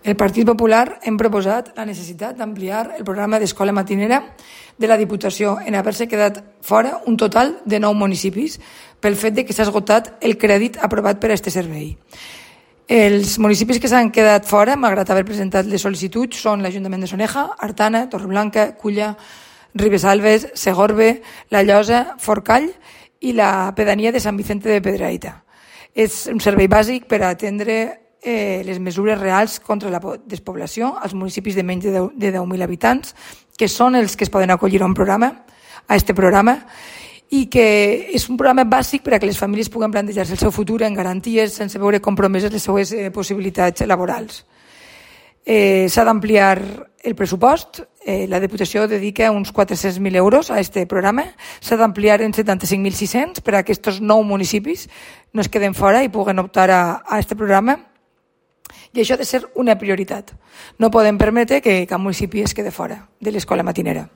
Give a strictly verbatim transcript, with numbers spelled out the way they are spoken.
El Partit Popular hem proposat la necessitat d'ampliar el programa d'escola matinera de la Diputació en haver-se quedat fora un total de nou municipis pel fet de que s'ha esgotat el crèdit aprovat per a aquest servei. Els municipis que s'han quedat fora, malgrat haver presentat les sol·licituds, són l'Ajuntament de Soneja, Artana, Torreblanca, Culla, Ribesalbes, Segorbe, La Llosa, Forcall i la pedania de Sant Vicente de Pedraíta. És un servei bàsic per a atendre eh, les mesures reals contra la despoblació als municipis de menys de deu mil habitants, que són els que es poden acollir a un programa, a aquest programa, i que és un programa bàsic per a que les famílies puguen plantejar-se el seu futur en garanties sense veure compromeses les seues eh, possibilitats laborals. Eh, S'ha d'ampliar el pressupost, eh, la Diputació dedica uns quatre-cents mil euros a aquest programa, s'ha d'ampliar en setanta-cinc mil sis-cents per a que aquests nou municipis no es queden fora i puguen optar a aquest programa, i això ha de ser una prioritat. No podem permetre que cap municipi es quede fora de l'escola matinera.